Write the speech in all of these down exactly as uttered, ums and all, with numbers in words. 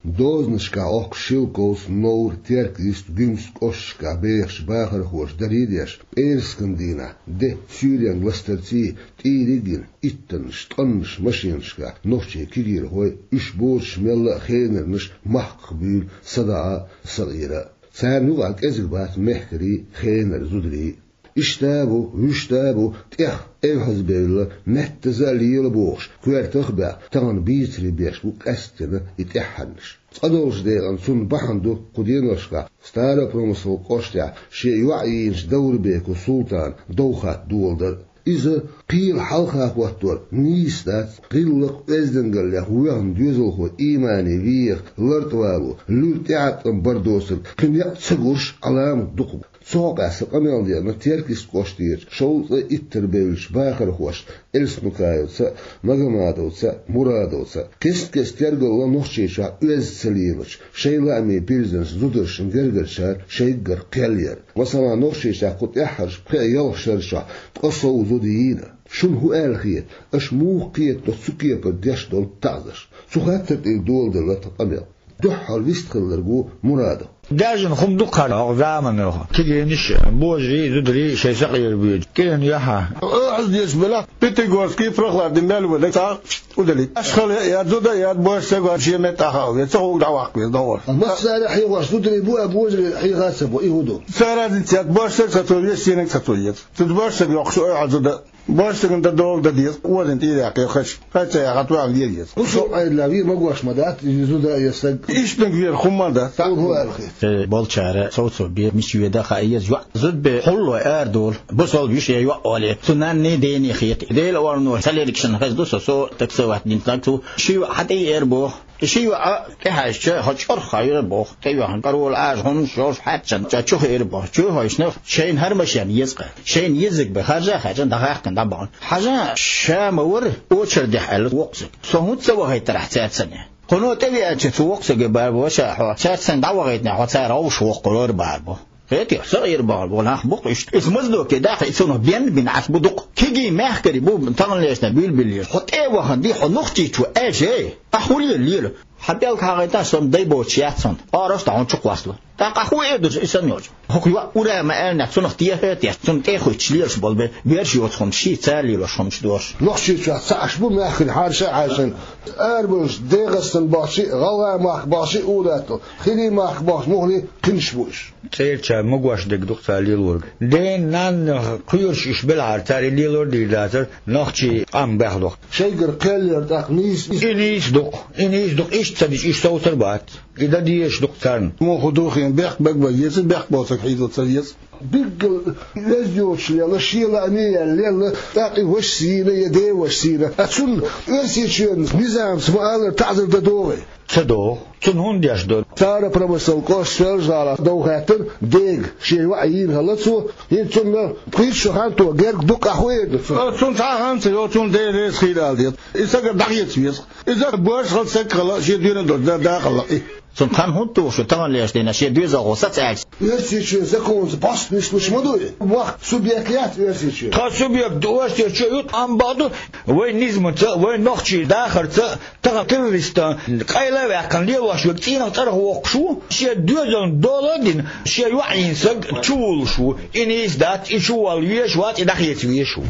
Дозанашкахь Ӏохкуш Шелковцы, Новр, Теркйист, Гуьмсе кӀошташкахь бехачу бахархоша даре а деш, пӀераскан дийнахь де суьйренга ластарций, тӀийриг а йина, иттаннаш, ткъаннаш машенашкахь нохчийн кегийрхой, уьш боцуш мелла а хенарнаш махках буьйлу садаӀа а, сакъера а. Царна юкъахь кӀезиг бац мехкарий а, хенара зударий а. Иштта а бу, вуьшта а бу, тӀех эвхьазбевлла, меттаза а лела бохуш, коьртах а баьхна, тахана бийцаре беш бу къаьсттина и тӀаьххьарнаш. Цкъа долчу декъана цунна бахьана ду кху деношкахь Старопромысловски кӀоштехь шен йоӀ йийначу Даврбеков Султана дов хатта доладар а. Иза кхела хьалха хӀоттор нийса дац, гӀиллакх-оьздангаллех воьхна доьзалхо иймане вехаш лартӀа вало, луьра тӀеӀаткъам бар доцург кхин некъ ца гуш, Ӏаламат дукха бу. Цу хьокъехь сан къамел деана Теркйист кӀоштерчу шовзткъе иттара бевллачу бахархошна Эльснукаевца а, Магомадовца а, Мурадовца а. Кест-кеста тергалла Нохчийчохь оьзда ца лелачу, шайн лаамийн пирзенца зударшна гергарчара шайггара кхел яр. Масала, Нохчийчохь кху тӀаьххьарчу пхеа-ялх шарчохь ткъе сов зуда йийна. Шуна хӀун аьлла хета, аша муха кхетадо цу кепара деш долу таӀзарш? Цу хаттар тӀера доладелла тхан къамел. Дуьххьара вистхилларг ву Мурадов. Даьржина хӀума ду-кх хӀара хӀокху заманахь. Кегийнаш а, божарий а, зударий а шайн сакъера буьйлу. КӀиран яхьа. Оьхьаз дезаш белахь, Пятигорский, Прохладный мел вале, цхьа удали. Аш хала а яц, зуда а яц, божаршка а шен меттахь а веза, ца хӀума дӀаваккха веза, дӀагӀо. Массара хьехош зударий бу а, божарий хьеха а ца бу, и хӀун ду? Ца разница яц, божаршка а ца цо еза, шенга а ца цо еза. Цу божаршка йоккхуш ойхьа зуда. Божаршкана дан дола дан деза, озийна тӀера яьккхира хаза. Хаза ца яьккхина, ваьлла лела еза. ХӀун со Ӏедалехь вер магош ма дац, иза зуда а, я саг. Иштанга вер хӀумма а дац. Цунна хӀун аьлла хета? Э, болчара, совцо бе, мича веда а хаийта еза йоӀ. Зуда бен хьуллой арадолу. Бусалба йиша я йоӀ олий. Цу нанний, дений хета. Делан орно ца лергашна хезна ду со, со таксовать дина стаг цу. Ши йоӀ хьан тӀе эр боху. И ши йоӀ тӀехьаьжча, хьо чӀорхьа хьаьжира боху, тӀейоьхна караволла Ӏажа хӀуманаш йолуш хьаьрчина, ша чу хиира боху. Чу хьаьжча, шайна хӀара машен еза-кх. Шайна еззиг бен харжа а хаьржина, дӀахаьхкина дӀабахана. Хьажа, ша ма вара, очередехь аьлла воккхачуьнга. Со хӀунда ца вахийтарахь цаьрца санна? Кхуьно тӀевеача цу воккхачуьнга бахара боху, ша хьо цаьрца санна дӀавахийтинехь, хьо цара гӀовшах воккхур вара бахара боху. Хетий, со Ӏийр бахьана бу нах бу-кх иштта. Иза маздоке даха, и цунах бен бина Ӏаш бу дукха. Кегий мехкарий бу таханлерчу дийнахь буьйлабеллера. Хьо тӀе а вахана, ди хьо нохчийчо аьлча, ахь хӀун лела, лела? Хьан пӀелг хьагӀайтахь, сан дай боцуш яц хьуна. Арахь а хьуна чу кхоссало. ТӀаккха ахь хӀун эр ду иза санна йолчу? ХӀокху йоӀ ура ма аьллинехь, цунах техьа а техьа, цунна тӀе а хуьттуш лелаш болу бен, бераш йоцу хӀуманаш, ший цара лелош хӀуманаш дохуш. Нохчийчохь цхьаъ бу мехкарий хьарша а хьаьршина. Арабевллачу ДегӀастан бахчий, ГӀалгӀай махка бахчий, улатто, хирий махка бахча муххале кхинаш бу уьш. ЦӀерачара магош дерг ду-кх цара лелориг. Ден-нанна кхоьруш уьш белахьара, цара и лелор дийр дацара, нохчий къам баьхна доху. Шайгара кхел яр тӀаккха нийса иза. И нийса ду-кх, и нийса ду-кх, иштта ца дича уьш совцар бац. И дан дезаш ду-кх царна. Муха ду хин, бехк бегба еза, бехк боцург хьийзо ца веза. Билггал оьзда йоцуш лелла, шен лааме яьлла лелла, тӀаккха и вашас йийна я ден вашас йийна. Ткъа цунна Оьрсийчоьнан низамца ма аллара таӀзар дан догӀий? Ца догӀу. Цунна хӀунда деш ду? Старопромысловски кӀоштан Соьлжа-ГӀалахь дов хаьттира дега, шен йоӀ йийна хилла цо, хӀинца цунна пхийтта шо хан то герга ду-кх, ахь хӀун эр ду цунна? Цунна цхьа а хан ца йо, цунна Дела реза хийла ала деза. И сагара дӀахеца веза. Иза божаш хилла, саг хилла, шен доьналла долчу дакъа хилла и. Цунна хан хӀунда тухуш ю таханлерчу дийнахь шен доьзалхо саца аьлча? Оьрсийчоьнан законца бӀостанехь нислуш ма ду и. Мохк субъект яц Оьрсийчоьнан. Тхан субъект ду, Оьрсийчоь ю, амма бакъду, вайн низамца, вайн нохчийн дахарца, тахана террористан къайла а ваьккхина лелош верг цӀийнах цӀарах воккхуш ву, шен доьзална дола а дина, шен йоӀ йийна саг чувуллуш ву. И нийса дац, и чуволла везаш вац, и дӀахеца везаш ву.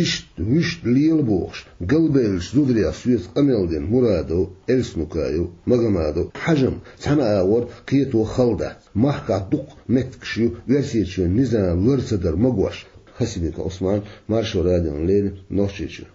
Иштта вуьшта лела бохуш, галбевллачу зударех соьца къамел дина Мурадов, Эльснукаев, Магомадов, хьажа-м, цхьана агӀор кхето хала дац. Махкахь дукха меттигаш ю Оьрсийчоьнан низам лар ца дар магош. Хасимиков Ӏусман, Маршо радиона леррина, Нохчийчуьра.